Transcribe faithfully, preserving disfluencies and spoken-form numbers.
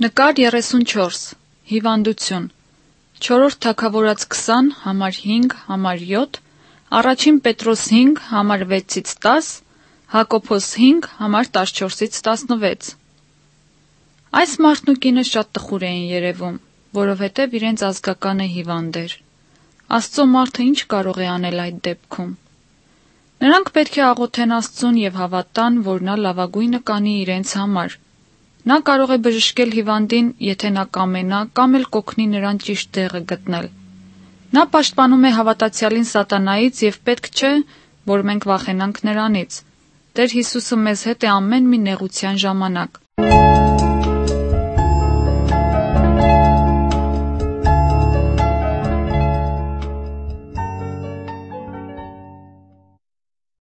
Նկար երեսունչորս։ Հիւանդութիւն։ Չորրորդ Թագաւորաց քսան, համար հինգ, համար յոթ, առաջին Պետրոս հինգ, համար վեցից տաս, Յակոբոս հինգ, համար տասնչորսից տասնվեց։ Այս մարդն ու կինը շատ տխուր էին երեւում, որովհետեւ իրենց ազգականը հիւանդ էր։ Աստծո մարդը ի՞նչ կարող է անել այդ դեպքում։ Նրանք պէտք է աղօթեն Աստծուն եւ հաւատան, որ նա լաւագոյնը կանի իրենց համար։ Նա կարող է բժշկել հիւանդին, եթէ նա կամենայ, կամ էլ կ'օգնի նրան ճիշտ տեղը գտնել։ Նա պաշտպանում է հաւատացեալին սատանայից եւ պէտք չէ, որ մենք վախենանք նրանից։ Տէր Յիսուսը մեզ հետ է ամէն մի նեղութեան ժամանակ։